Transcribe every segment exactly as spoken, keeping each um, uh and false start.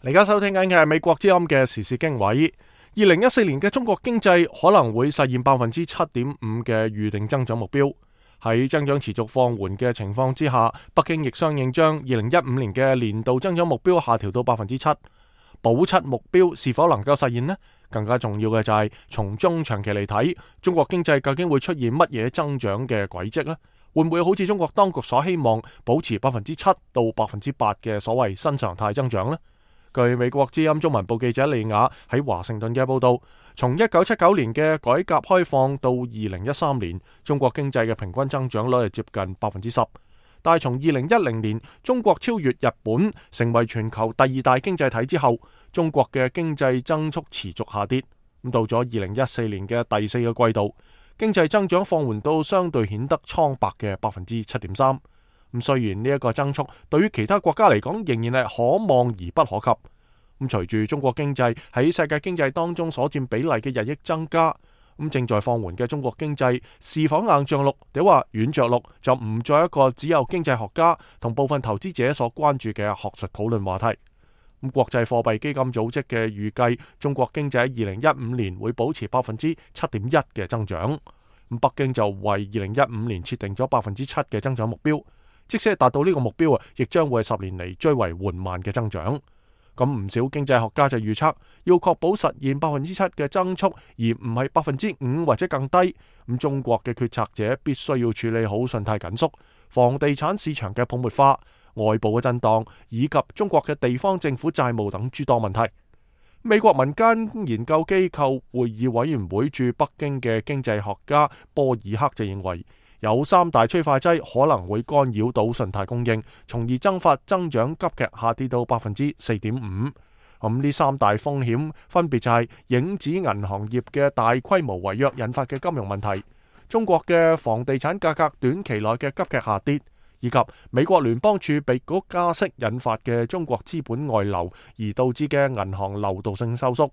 而家收聽緊嘅係美國之音嘅時事經緯。二零一四年嘅中國經濟可能會實現百分之七點五嘅預定增長目標。喺增長持續放緩嘅情況之下，北京亦相應將二零一五年嘅年度增長目標下調到百分之七。保七目標是否能夠實現呢？更加重要嘅就係從中長期嚟睇，中國經濟究竟會出現乜嘢增長嘅軌跡呢？會唔會好似中國當局所希望保持百分之七到百分之八嘅所謂新常態增長呢？據美國之音中文部記者利亞喺華盛頓嘅報道，從一九七九年嘅改革開放到二零一三年，中國經濟嘅平均增長率係接近百分之十。但係從二零一零年中國超越日本成為全球第二大經濟體之後，中國嘅經濟增速持續下跌。咁到咗二零一四年嘅第四個季度，經濟增長放緩到相對顯得蒼白嘅百分之七點三。咁雖然呢一個增速對於其他國家嚟講仍然係可望而不可及。咁隨住中國經濟喺世界經濟當中所佔比例嘅日益增加，咁正在放緩嘅中國經濟是否硬着陸，定話軟着陸，就唔再一個只有經濟學家同部分投資者所關注嘅學術討論話題。咁國際貨幣基金組織嘅預計，中國經濟喺二零一五年會保持百分之七點一嘅增長。咁北京就為二零一五年設定咗百分之七嘅增長目標，即使係達到呢個目標啊，亦將會係十年嚟最為緩慢嘅增長。咁唔少經濟學家就預測，要確保實現百分之七嘅增速，而唔係百分之五或者更低。咁中國嘅決策者必須要處理好信貸緊縮、房地產市場嘅泡沫化、外部嘅震盪，以及中國嘅地方政府債務等諸多問題。美國民間研究機構會議委員會駐北京嘅經濟學家波爾克就認為，有三大催化劑可能會干擾到信貸供應，從而增發增長急劇下跌到百分之四點五。咁呢三大風險分別就係影子銀行業嘅大規模違約引發嘅金融問題，中國嘅房地產價格短期內嘅急劇下跌，以及美國聯邦儲備局加息引發嘅中國資本外流而導致嘅銀行流動性收縮。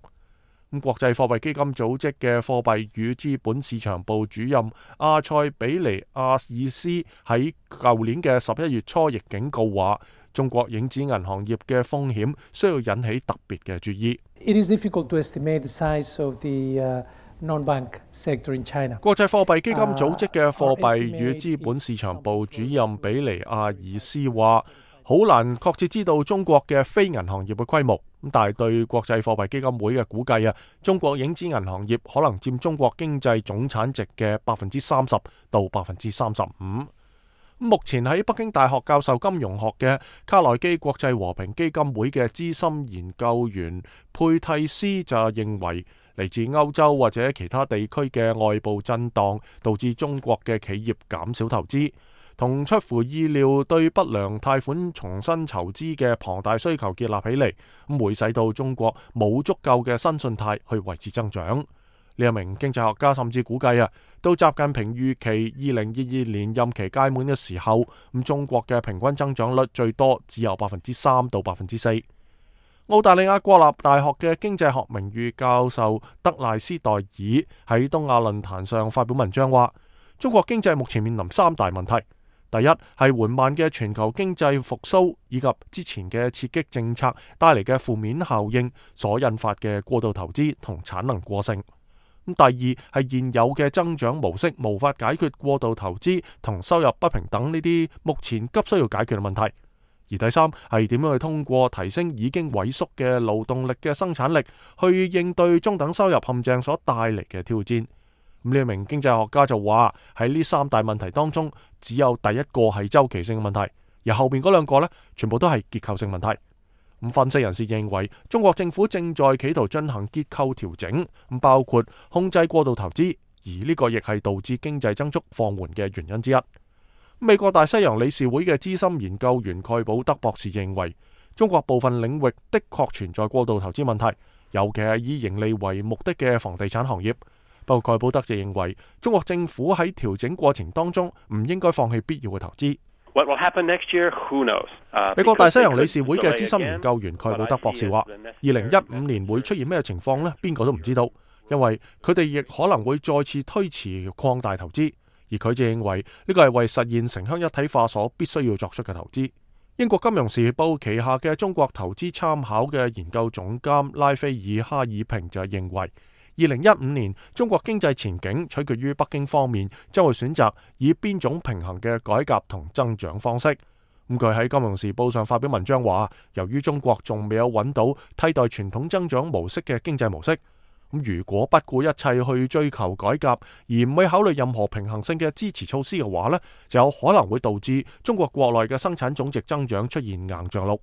咁國際貨幣基金組織嘅貨幣與資本市場部主任阿塞比尼亞爾斯喺舊年嘅十一月初亦警告話，中國影子銀行業嘅風險需要引起特別嘅注意。It is difficult to estimate the size of the non-bank sector in China. 國際貨幣基金組織嘅貨幣與資本市場部主任比尼亞爾斯話，好難確切知道中國嘅非銀行業嘅規模，但係對國際貨幣基金會嘅估計啊，中國影子銀行業可能佔中國經濟總產值嘅百分之三十到百分之三十五。目前喺北京大學教授金融學嘅卡內基國際和平基金會嘅資深研究員佩蒂斯就認為，嚟自歐洲或者其他地區嘅外部震盪導致中國嘅企業減少投資，同出乎意料對不良貸款重新籌資嘅龐大需求結合起嚟，咁會使到中國冇足夠嘅新信貸去維持增長。呢一名經濟學家甚至估計啊，到習近平預期二零二二年任期屆滿嘅時候，咁中國嘅平均增長率最多只有百分之三到百分之四。澳大利亞國立大學嘅經濟學名譽教授德賴斯代爾喺東亞論壇上發表文章話，中國經濟目前面臨三大問題。第一係緩慢嘅全球經濟復甦，以及之前嘅刺激政策帶嚟嘅負面效應所引發嘅過度投資同產能過剩。咁第二係現有嘅增長模式無法解決過度投資同收入不平等呢啲目前急需要解決嘅問題。而第三係點樣去通過提升已經萎縮嘅勞動力嘅生產力，去應對中等收入陷阱所帶嚟嘅挑戰。呢一名經濟學家就話，喺呢三大問題當中，只有第一個係周期性嘅問題，而後面嗰兩個呢，全部都係結構性問題。咁分析人士認為，中國政府正在企圖進行結構調整，咁包括控制過度投資，而呢個亦係導致經濟增速放緩嘅原因之一。美國大西洋理事會嘅資深研究員蓋保德博士認為，中國部分領域的確存在過度投資問題，尤其係以盈利為目的嘅房地產行業。不過蓋保德就認為，中國政府喺調整過程當中唔應該放棄必要嘅投資。What will happen next year? Who knows? Uh, 美國大西洋理事會嘅資深研究員蓋保德博士話，二零一五年會出現咩情況呢？邊個都唔知道，因為佢哋亦可能會再次推遲擴大投資。而佢就認為呢個係為實現城鄉一體化所必須要作出嘅投資。英國金融時報旗下嘅中國投資參考嘅研究總監拉斐爾哈爾平就認為，二零一五年中國經濟前景取決於北京方面將會選擇以邊種平衡嘅改革同增長方式。咁佢喺金融時報上發表文章話，由於中國仲未有揾到替代傳統增長模式嘅經濟模式，咁如果不顧一切去追求改革，而唔會考慮任何平衡性嘅支持措施嘅話呢，就有可能會導致中國國內嘅生產總值增長出現硬着陸。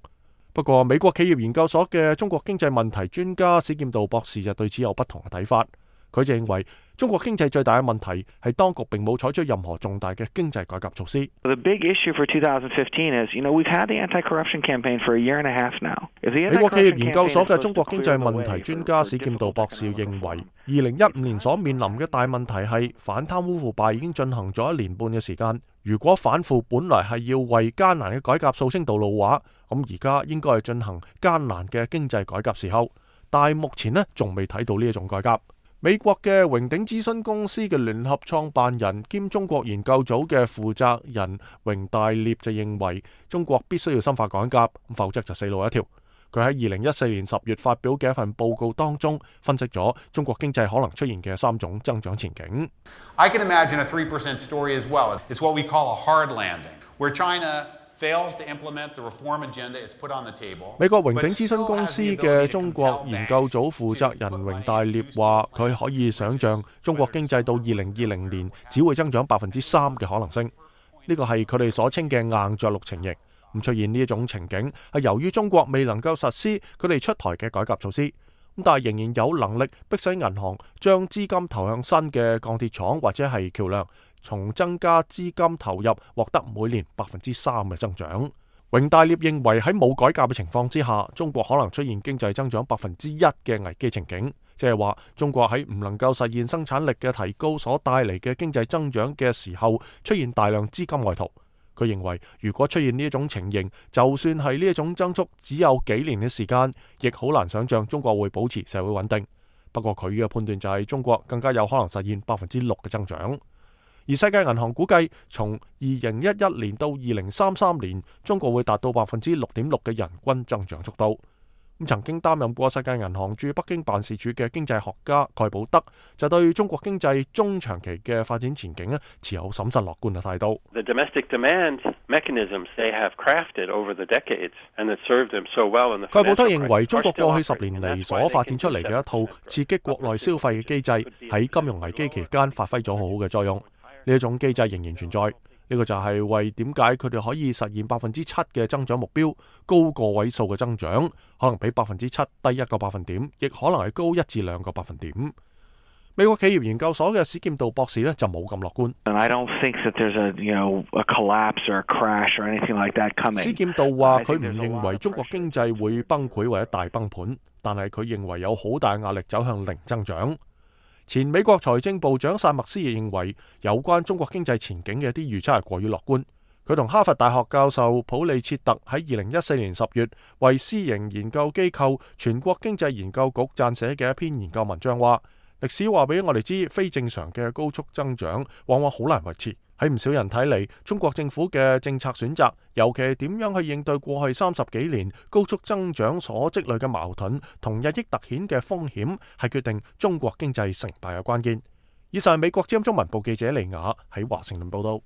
不過，美國企業研究所嘅中國經濟問題專家史劍道博士就對此有不同嘅睇法。佢就認為，中國經濟最大嘅問題係當局並冇採取任何重大嘅經濟改革措施。The big issue for twenty fifteen is, you know, we've had the anti-corruption campaign for a year and a half now. 美國企業研究所嘅中國經濟問題專家史劍道博士認為，二零一五年所面臨嘅大問題係反貪污腐敗已經進行咗一年半嘅時間。如果反腐本來係要為艱難嘅改革掃清道路話，咁而家應該係進行艱難嘅經濟改革時候。但係目前呢，仲未睇到呢一種改革。美國嘅榮鼎諮詢公司嘅聯合創辦人兼中國研究組嘅負責人榮大烈就認為，中國必須要深化改革，否則就死路一條。佢喺二零一四年十月發表嘅一份報告當中，分析咗中國經濟可能出現嘅三種增長前景。I can imagine a three percent story as well. It's what we call a hard landing, where China fails to implement the reform agenda it's put on the table. 美國榮鼎諮詢公司嘅中國研究組負責人榮大烈話，佢可以想象中國經濟到二零二零年只會增長百分之三嘅可能性。呢個係佢哋所稱嘅硬着陸情形。咁出現呢一種情景係由於中國未能夠實施佢哋出台嘅改革措施，咁但係仍然有能力迫使銀行將資金投向新嘅鋼鐵廠或者係橋樑，從增加資金投入獲得每年百分之三嘅增長。榮大烈認為喺冇改革嘅情況之下，中國可能出現經濟增長百分之一嘅危機情景，即係話中國喺唔能夠實現生產力嘅提高所帶嚟嘅經濟增長嘅時候，出現大量資金外逃。佢認為，如果出現呢一種情形，就算係呢一種增速只有幾年嘅時間，亦好難想象中國會保持社會穩定。不過佢嘅判斷就係中國更加有可能實現百分之六嘅增長。而世界銀行估計，從二零一一年到二零三三年，中國會達到百分之六點六嘅人均增長速度。咁曾經擔任過世界銀行駐北京辦事處嘅經濟學家蓋寶德就對中國經濟中長期嘅發展前景咧持有審慎樂觀嘅態度。The domestic demand mechanisms they have crafted over the decades and that served them so well in the financial crisis. 蓋寶德認為，中國過去十年嚟所發展出嚟嘅一套刺激國內消費嘅機制，喺金融危機期間發揮咗好好嘅作用。呢一種機制仍然存在。呢個就係為點解佢哋可以實現百分之七嘅增長目標，高個位數嘅增長，可能比百分之七低一個百分點，亦可能係高一至兩個百分點。美國企業研究所嘅史劍道博士呢就冇咁樂觀。I don't think that there's a, you know, a collapse or a crash or anything like that coming. 史劍道話佢唔認為中國經濟會崩潰或者大崩盤，但係佢認為有好大壓力走向零增長。前美國財政部長薩默斯亦認為，有關中國經濟前景嘅一啲預測係過於樂觀。佢同哈佛大學教授普利切特喺二零一四年十月為私營研究機構全國經濟研究局撰寫嘅一篇研究文章話，歷史話俾我哋知，非正常嘅高速增長往往好難維持。喺唔少人睇嚟，中國政府嘅政策選擇，尤其係點樣去應對過去三十幾年高速增長所積累嘅矛盾同日益突顯嘅風險，係決定中國經濟成敗嘅關鍵。以上係美國之音中文部記者李雅喺華盛頓報道。